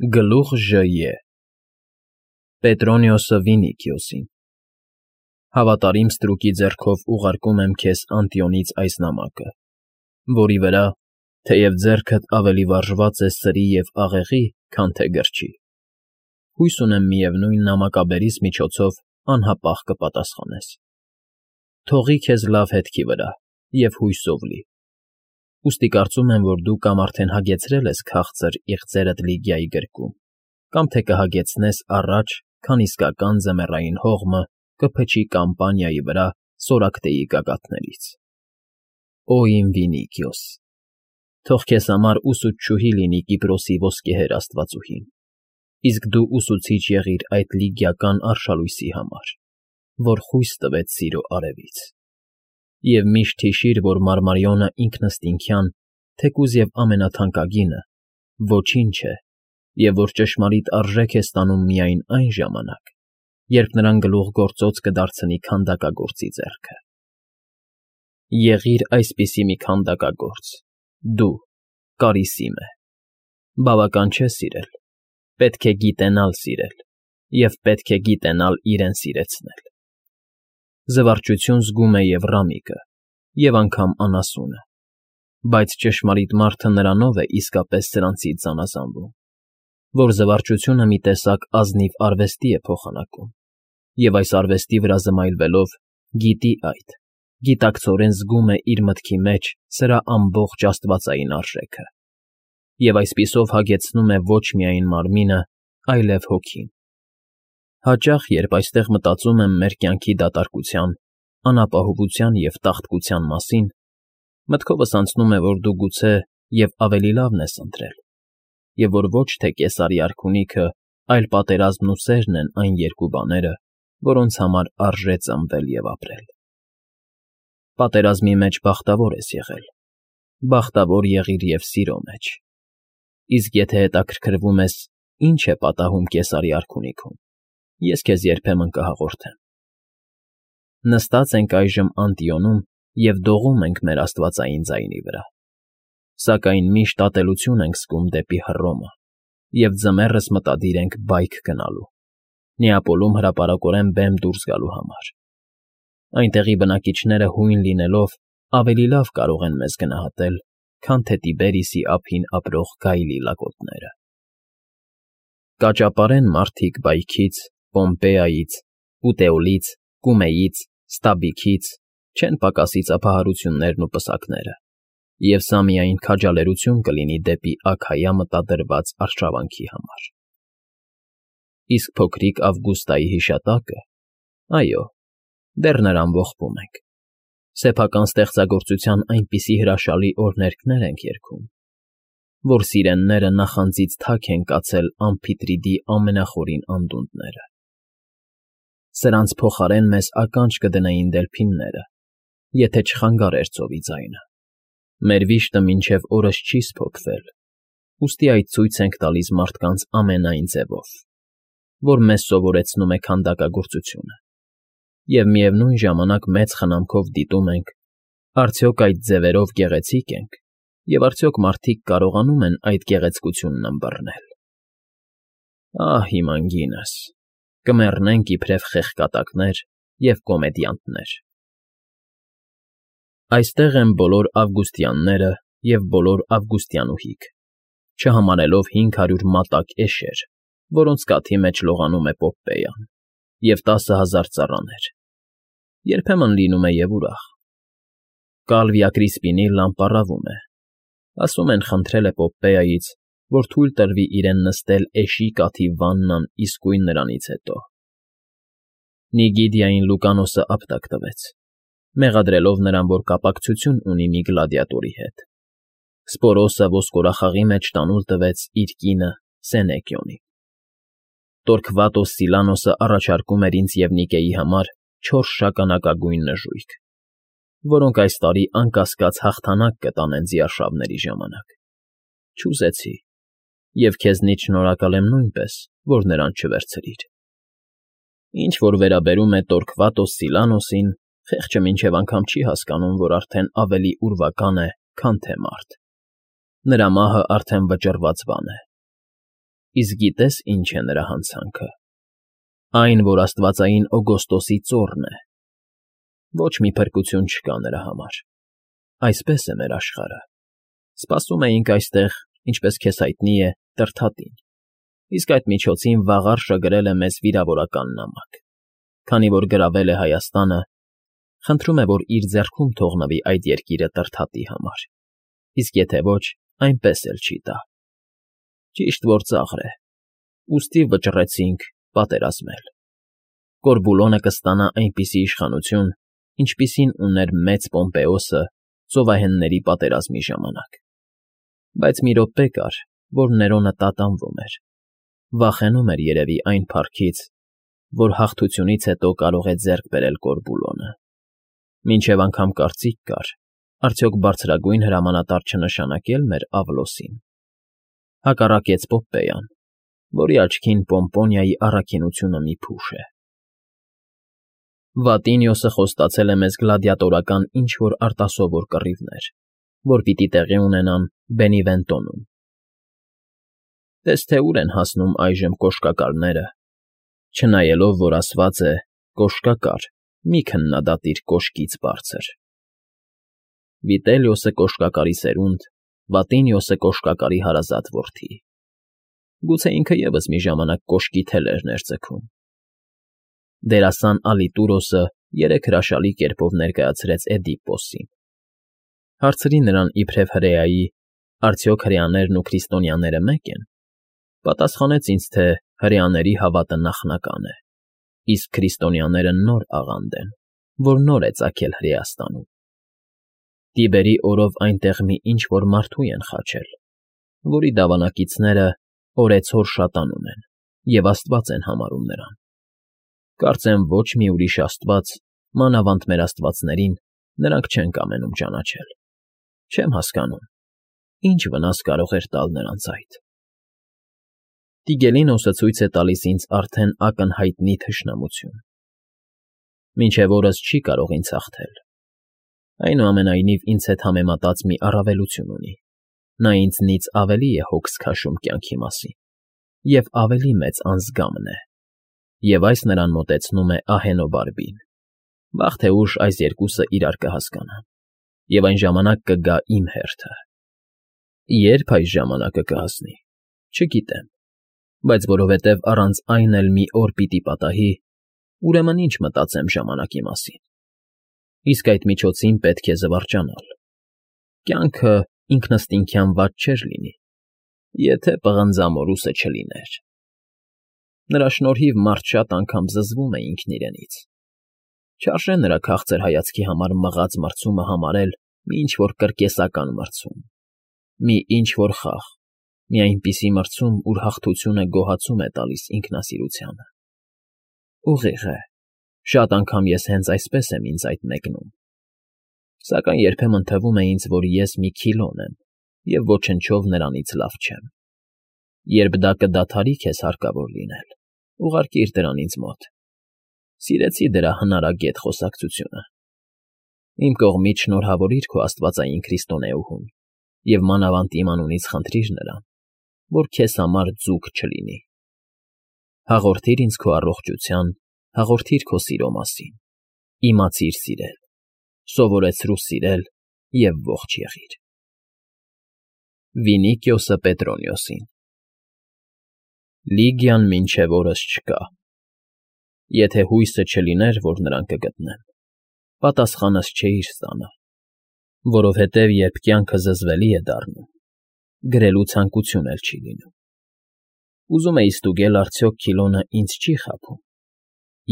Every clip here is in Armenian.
Գլուխ Ժ. Պետրոնիոսը Վինիքիոսին Հավատարիմ ստրուկի ձեռքով ուղարկում եմ քեզ Անտիոնից այս նամակը, որի վրա, թեև ձեռքդ ավելի վարժված է սրի և աղեղի, քան թե գրչի, հույս ունեմ միևնույն նամակաբերիս միջոցով անհապաղ կպատասխանես։ Թողի քեզ լավ հետքի վրա և հույսով լի։ Ուստի կարծում եմ, որ դու կամ արդեն հագեցրել ես քաղցր իղձերդ Լիգիայի գրկում, կամ թե կհագեցնես առաջ, քան իսկական ձմեռային հողմը կփչի Կամպանիայի վրա Սորակտեի գագաթներից։ Օ իմ Վինիքիոս, թող քեզ համար ուսուցչուհի լինի Կիպրոսի ոսկեհեր աստվածուհին, իսկ դու ուսուցիչ եղիր այդ լիգիական արշալույսի համար, որ խույս տվեց սիրո արևից։ Եվ միշտ հիշիր, որ Մարմարիոնը ինքնըստինքյան, թեկուզ և ամենաթանկագինը, ոչինչ է, և որ ճշմարիտ արժեք է ստանում միայն այն ժամանակ, երբ նրան գլուխգործոց կդարձնի քանդակագործի ձեռքը։ Եղիր այսպիսի մի քանդակագործ, դու, Կարիսիմե, բավական չէ սիրել, պետք է գիտենալ սիրել և պետք է գիտենալ իրեն սիրեցնել։ Զվարճություն զգում է և Ռամիկը, և անգամ անասունը, բայց ճշմարիտ մարդը նրանով է իսկապես սրանցից զանազանվում, որ զվարճությունը մի տեսակ ազնիվ արվեստի է փոխանակում, և այս արվեստի վրա զմայլվելով գիտի այդ, գիտակցորեն զգում է իր մտքի մեջ սրա ամբողջ աստվածային արժեքը, և այսպիսով հագեցնում է ոչ միայն մարմինը, այլև հոգին։ Հաճախ, երբ այստեղ մտածում եմ մեր կյանքի դատարկության, անապահովության և տաղտկության մասին, մտքովս անցնում է, որ դու գուցե և ավելի լավն ես ընտրել, և որ ոչ թե Կեսարի արքունիքը, այլ պատերազմն ու սերն են այն երկու բաները, որոնց համար արժե ծնվել և ապրել։ Պատերազմի մեջ բախտավոր ես եղել, բախտավոր եղիր և սիրո մեջ, իսկ եթե հետաքրքրվում ես, ինչ է պատահում Կեսարի արքունիքում, ես քեզ երբեմն կհաղորդեմ։ Նստած ենք այժմ Անտիոնում և դողում ենք մեր աստվածային ձայնի վրա, սակայն միշտ ատելություն ենք զգում դեպի Հռոմը և ձմեռս մտադիր ենք բայք գնալու, Նեապոլում հրապարակորեն բեմ դուրս գալու համար։ Այնտեղի բնակիչները հույն լինելով ավելի լավ կարող են մեզ գնահատել, քան թե Տիբերիսի ափին ապրող գայլի լակոտները։ Կաճապարեն մարդիկ Բայքից, Պոմպեայից, Պուտեոլից, Կումեից, Ստաբիքից չեն պակասի ծափահարություններն ու պսակները, և սա միայն քաջալերություն կլինի դեպի Աքայա մտադրված արշավանքի համար։ Իսկ փոքրիկ Ավգուստայի հիշատակը, այո, դեռ նրան ողբում ենք, սեփական ստեղծագործության այնպիսի հրաշալի օրհներգներ ենք երգում, որ սիրենները նախանձից թաք են կացել Ամփիտրիդի ամենախորին անդունդները։ Սրանց փոխարեն մեզ ականջ կդնեին դելֆինները, եթե չխանգարեր ծովի ձայնը։ Մեր վիշտը մինչև օրս չի սփոփվել, ուստի այդ ցույց ենք տալիս մարդկանց ամենայն ձևով, որ մեզ սովորեցնում է քանդակագործությունը, և միևնույն ժամանակ մեծ խնամքով դիտում ենք, արդյոք այդ ձևերով գեղեցիկ ենք, և արդյոք մարդիկ կարողանում են այդ գեղեցկությունն ըմբռնել։ Ահ, իմ անգինս, կմեռնենք իբրև խեղկատակներ և կոմեդիանտներ։ Այստեղ են բոլոր ավգուստյանները և բոլոր ավգուստյանուհիք, չհամարելով 500 մատակ էշեր, որոնց կաթի մեջ լողանում է Պոպպեյան, և 10,000 ծառաներ, երբեմն լինում է և ուրախ։ Կալվիա Կրիսպինիլլան պառավում է, ասում են խնդրել է Պոպպեայից, որ թույլ տրվի իրեն նստել էշի կաթի վաննան իսկույն նրանից հետո։ Նիգիդիային Լուկանոսը ապտակ տվեց, մեղադրելով նրան, որ կապակցություն ունի մի գլադիատորի հետ։ Սպորոսը ոսկորախաղի մեջ տանուլ տվեց իր կինը Սենեկիոնին։ Տորքվատոս Սիլանոսը առաջարկում էր ինձ և Նիկեի համար 4 շագանակագույն նժույգ, որոնք այս տարի անկասկած հաղթանակ կտանեն ձիարշավների ժամանակ։ Չուզեցի, և քեզնից շնորհակալ եմ նույնպես, որ նրան չվերցրիր։ Ինչ որ վերաբերում է Տորքվատոս Սիլանոսին, խեղճը մինչև անգամ չի հասկանում, որ արդեն ավելի ուրվական է, քան թե մարդ։ Նրա մահը արդեն վճռված բան է։ Իսկ գիտես ինչ է նրա հանցանքը։ Այն, որ աստվածային Օգոստոսի ծոռն է։ Ոչ մի փրկություն չկա նրա համար։ Այսպես է մեր աշխարհը։ Սպասում էինք այստեղ, ինչպես քեզ հայտնի է, Տրդատին, իսկ այդ միջոցին վաղար շգրել է մեզ վիրավորական նամակ։ Քանի որ գրավել է Հայաստանը, խնդրում է, որ իր ձեռքում թողնվի այդ երկիրը Տրդատի համար, իսկ եթե ոչ, այնպես էլ չի տա։ Ճիշտ որ ծաղր է, ուստի վճռեցինք պատերազմել։ Կորբուլոնը կստանա այնպիսի իշխանություն, ինչպիսին ուներ մեծ Պոմպեոսը ծովահենների պատերազմի ժամանակ։ Բայց մի րոպե կար, որ Ներոնը տատանվում էր, վախենում էր երևի այն փառքից, որ հաղթությունից հետո կարող է ձեռք բերել Կորբուլոնը։ Մինչև անգամ կարծիք կար, արդյոք բարձրագույն հրամանատար չնշանակել մեր Ավլոսին։ Հակառակեց Պոպպեյան, որի աչքին Պոմպոնիայի առաքինությունը մի փուշ է։ Վատինիոսը խոստացել է մեզ գլադիատորական ինչ-որ արտասովոր կռիվներ, որ պիտի տեղի ունենան Բենիվենտոնում։ Տես թե ուր են հասնում այժմ կոշկակարները, չնայելով, որ ասված է «կոշկակար, մի քննադատիր կոշկից բարձր»։ Վիտելիոսը կոշկակարի սերունդ, Վատինիոսը կոշկակարի հարազատ որդի։ Գուցե ինքը ևս մի ժամանակ կոշկի թելերն էր ձգում։ Դերասան Ալիտուրոսը երեք հրաշալի կերպով ներկայացրեց Էդիպոսին։ Հարցրի նրան իբրև հրեայի, արդյոք հրեաներն ու քրիստոնյաները մեկ են։ Պատասխանեց ինձ, թե հրեաների հավատը նախնական է, իսկ քրիստոնյաները նոր աղանդ են, որ նոր է ծագել Հրեաստանում։ Տիբերի օրով այնտեղ մի ինչ-որ մարդու են խաչել, որի դավանակիցները օրեցօր շատանում են և աստված են համարում նրան։ Կարծեմ ոչ մի ուրիշ աստված, մանավանդ մեր աստվածներին, նրանք չեն կամենում ճանաչել։ Չեմ հասկանում, ինչ վնաս կարող էր տալ նրանց այդ։ Տիգելինոսը ցույց է տալիս ինձ արդեն ակնհայտնի թշնամություն։ Մինչև օրս չի կարող ինձ հաղթել։ Այնուամենայնիվ ինձ հետ համեմատած մի առավելություն ունի. նա ինձնից ավելի է հոգս քաշում կյանքի մասին, և ավելի մեծ անձգամն է, և այս նրան մոտեցնում է ահենոբարբին։ Վաղ թե ուշ այս երկուսը իրար կհասկանան, և այն ժամանակ կգա իմ հերթը։ Երբ այս ժամանակը կհասնի, չգիտեմ, բայց որովհետև առանց այն էլ մի օր պիտի պատահի, ուրեմն ինչ մտածեմ ժամանակի մասին։ Իսկ այդ միջոցին պետք է զվարճանալ։ Կյանքը ինքնըստինքյան վատ չէր լինի, եթե պղնձամորուսը չլիներ։ Նրա շնորհիվ մարդ շատ անգամ զզվում է ինքն իրենից։ Չարժե նրա քաղցր հայացքի համար մղած մրցումը համարել մի ինչ-որ կրկեսական մրցում, մի ինչ-որ խաղ, մի այնպիսի մրցում, ուր հաղթությունը գոհացում է տալիս ինքնասիրությանը։ Ուղիղ է, շատ անգամ ես հենց այսպես եմ ինձ այդ մեկնում։ Սակայն երբեմն թվում է ինձ, որ ես մի քիլոն եմ և ոչնչով նրանից լավ չեմ։ Երբ դա կդադարի քեզ հարկավոր լինել, ուղարկիր դրան ինձ մոտ։ Սիրեցի դրա հնարագետ խոսակցությունը։ Իմ կողմից շնորհավորիր քո աստվածային քրիստոնեուհուն և մանավանդ իմ անունից խնդրիր նրան, որ քեզ համար ձուկ չլինի։ Հաղորդիր ինձ քո առողջության, հաղորդիր քո սիրո մասին, իմացիր սիրել, սովորեցրու սիրել և ողջ եղիր։ Վինիկիոսը Պետրոնիոսին։ Լիգիան մինչև օրս չկա։ Եթե հույսը չլիներ, որ նրան կգտնեմ, պատասխանս չէիր ստանա, որովհետև երբ կյանքը զզվելի է դառնում, գրելու ցանկություն էլ չի լինում։ Ուզում էի ստուգել արդյոք Քիլոնը ինձ չի խաբում,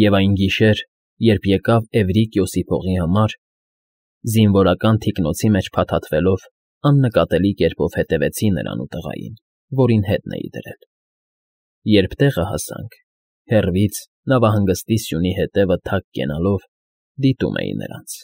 և այն գիշեր, երբ եկավ Էվրիկիոսի փողի համար, զինվորական թիկնոցի մեջ փաթաթվելով, աննկատելի կերպով հետևեցի նրան ու տղային, որին հետն էի դրել։ Երբ տեղը հասանք, հեռվից նավահանգստի սյունի հետևը թակ կենալով դիտում էի նրանց,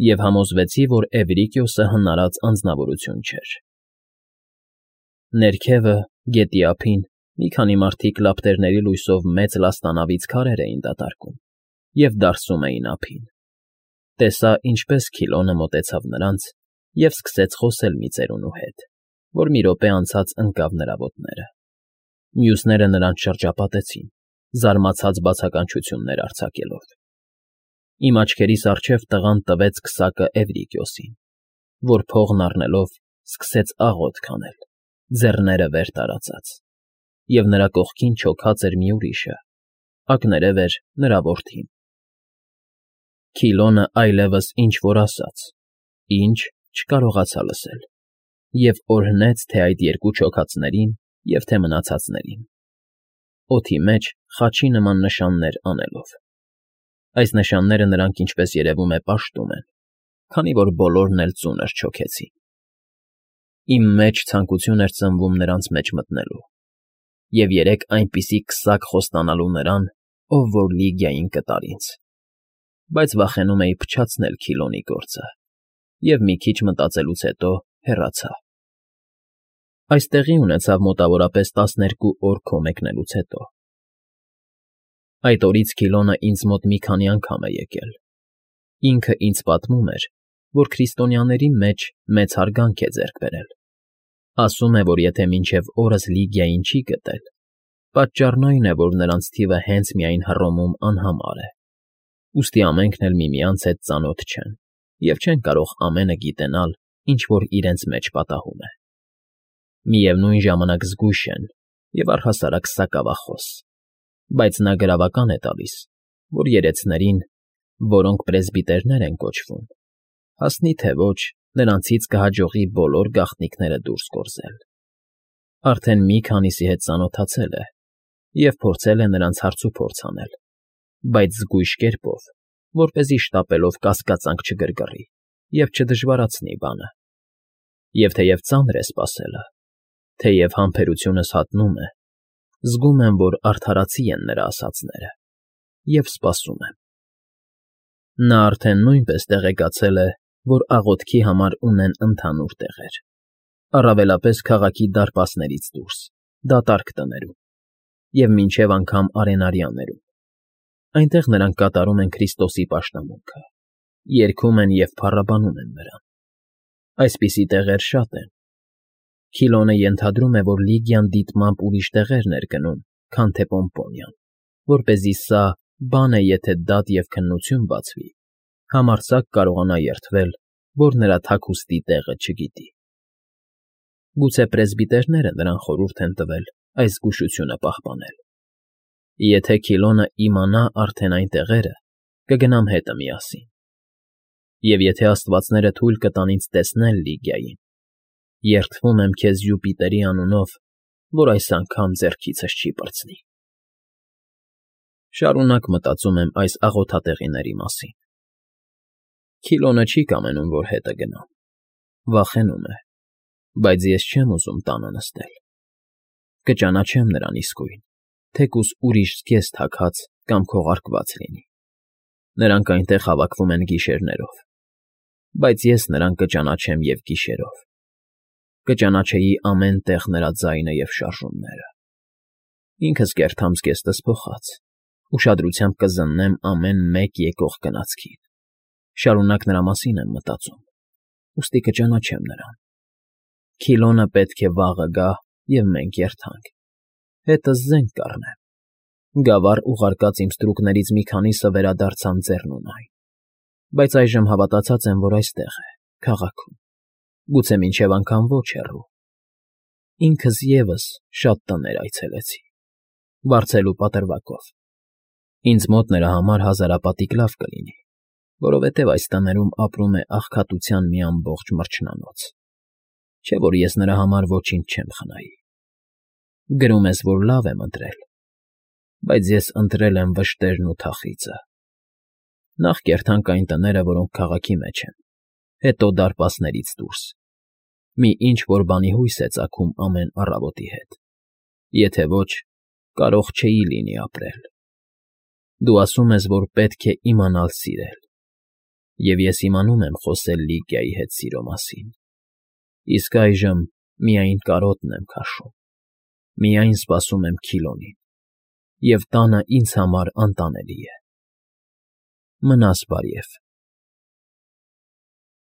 և համոզվեցի, որ Էվրիկիոսը հնարած անձնավորություն չէր։ Ներքևը, գետի ափին, մի քանի մարդիկ լապտերների լույսով մեծ լաստանավից քարեր էին դատարկում և դարսում էին ափին։ Տեսա, ինչպես Քիլոնը մոտեցավ նրանց և սկսեց խոսել մի ծերունու հետ, որ մի րոպե անցած ընկավ նրա ոտները։ Մյուսները նրանց շրջապատեցին, զարմացած բացականչություններ արձակելով։ Իմ աչքերիս առջև տղան տվեց քսակը Էվրիկիոսին, որ փողն առնելով սկսեց աղոթք անել, ձեռները վեր տարածած, և նրա կողքին չոքած էր մի ուրիշը, ակներև էր նրա որդին։ Քիլոնը այլևս ինչ֊որ ասաց, ինչ չկարողացա լսել, և օրհնեց թե այդ երկու չոքածներին և թե մնացածներին, օդի մեջ խաչի նման նշաններ անելով։ Այս նշանները նրանք, ինչպես երևում է, պաշտում են, քանի որ բոլորն էլ ծունր չոքեցին։ Իմ մեջ ցանկություն էր ծնվում նրանց մեջ մտնելու և երեք այնպիսի քսակ խոստանալու նրան, ով որ Լիգիային կտար ինձ, բայց վախենում էի փչացնել Քիլոնի գործը և մի քիչ մտածելուց հետո հեռացա։ Այս տեղի ունեցավ մոտավորապես 12 օր քո մեկնելուց հետո։ Այդ օրից Քիլոնը ինձ մոտ մի քանի անգամ է եկել։ Ինքը ինձ պատմում էր, որ քրիստոնյաների մեջ մեծ հարգանք է ձեռք բերել։ Ասում է, որ եթե մինչև օրս Լիգիային չի գտել, պատճառն այն է, որ նրանց թիվը հենց միայն Հռոմում անհամար է, ուստի ամենքն էլ միմյանց հետ ծանոթ չեն և չեն կարող ամենը գիտենալ, ինչ որ իրենց մեջ պատահում է։ Միևնույն ժամանակ զգույշ են և առհասարակ սակավախոս, բայց նա գրավական է տալիս, որ երեցներին, որոնք պրեսբիտերներ են կոչվում, հասնի թե ոչ, նրանցից կհաջողի բոլոր գաղտնիքները դուրս գործել։ Արդեն մի քանիսի հետ ծանոթացել է և փորձել է նրանց հարցուփորձ անել, բայց զգույշ կերպով, որպեսզի շտապելով կասկածանք չգրգռի և չդժվարացնի բանը։ Եվ թեև ծանր է սպասելը, թեև համբերությունս հատնում է, զգում եմ, որ արդարացի են նրա ասածները, և սպասում եմ։ Նա արդեն նույնպես տեղեկացել է, որ աղոթքի համար ունեն ընդհանուր տեղեր, առավելապես քաղաքի դարպասներից դուրս, դատարկ տներում և մինչև անգամ արենարյաներում։ Այնտեղ նրանք կատարում են Քրիստոսի պաշտամունքը, երգում են և փառաբանում են նրան։ Այսպիսի տեղեր շատ են։ Քիլոնը ենթադրում է, որ Լիգիան դիտմամբ ուրիշ տեղեր էր գնում, քան թե Պոմպոնիան, որպեսզի սա, բան է եթե դատ և քննություն բացվի, համարձակ կարողանա երդվել, որ նրա թաքուստի տեղը չգիտի։ Գուցե պրեսբիտերները նրան խորհուրդ են տվել այս զգուշությունը պահպանել։ Եթե Քիլոնը իմանա արդեն այն տեղերը, կգնամ հետը միասին։ Եվ եթե աստվածները թույլ կտան ինձ տեսնել Լիգիային, երդվում եմ քեզ Յուպիտերի անունով, որ այս անգամ ձեռքիցս չի պրծնի։ Շարունակ մտածում եմ այս աղոթատեղիների մասին։ Քիլոնը չի կամենում, որ հետը գնամ, վախենում է, բայց ես չեմ ուզում տանը նստել։ Կճանաչեմ նրան իսկույն, թեկուզ ուրիշ զգեստ թագած կամ քողարկված լինի։ Նրանք այնտեղ հավաքվում են գիշերներով, բայց ես նրան կճանաչեմ և գիշերով։ Կճանաչեի ամեն տեղ նրա ձայնը և շարժումները։ Ինքս կերթամ զգեստս փոխած, ուշադրությամբ կզննեմ ամեն մեկ եկող գնացքին։ Շարունակ նրա մասին եմ մտածում, ուստի կճանաչեմ նրան։ Քիլոնը պետք է վաղը գա, և մենք երթանք։ Հետս զենք կառնեմ։ Գավառ ուղարկած իմ ստրուկներից մի քանիսը վերադարձան Ձեռնունայն, բայց այժմ հավատացած եմ, որ այստեղ է, քաղաքում, գուցե մինչև անգամ ոչ հեռու։ Ինքս ևս շատ տներ այցելեցի, վարձելու պատրվակով։ Ինձ մոտ նրա համար հազարապատիկ լավ կլինի, որովհետև այս տներում ապրում է աղքատության մի ամբողջ մրջնանոց, չէ՞ որ ես նրա համար ոչինչ չեմ խնայի։ Գրում ես, որ լավ եմ ընտրել, բայց ես ընտրել եմ վշտերն ու թախիծը։ Նախ կերթանք այն տները, որոնք քաղաքի մեջ են, հետո դարպասներից դուրս։ Մի ինչ֊որ բանի հույս է ծագում ամեն առավոտի հետ։ Եթե ոչ, կարող չէի լինի ապրել։ Դու ասում ես, որ պետք է իմանալ սիրել, և ես իմանում եմ խոսել Լիգիայի հետ սիրո մասին։ Իսկ այժմ միայն կարոտն եմ քաշում, միայն սպասում եմ Քիլոնին, և տանը ինձ համար անտանելի է։ Մնաս բարիև։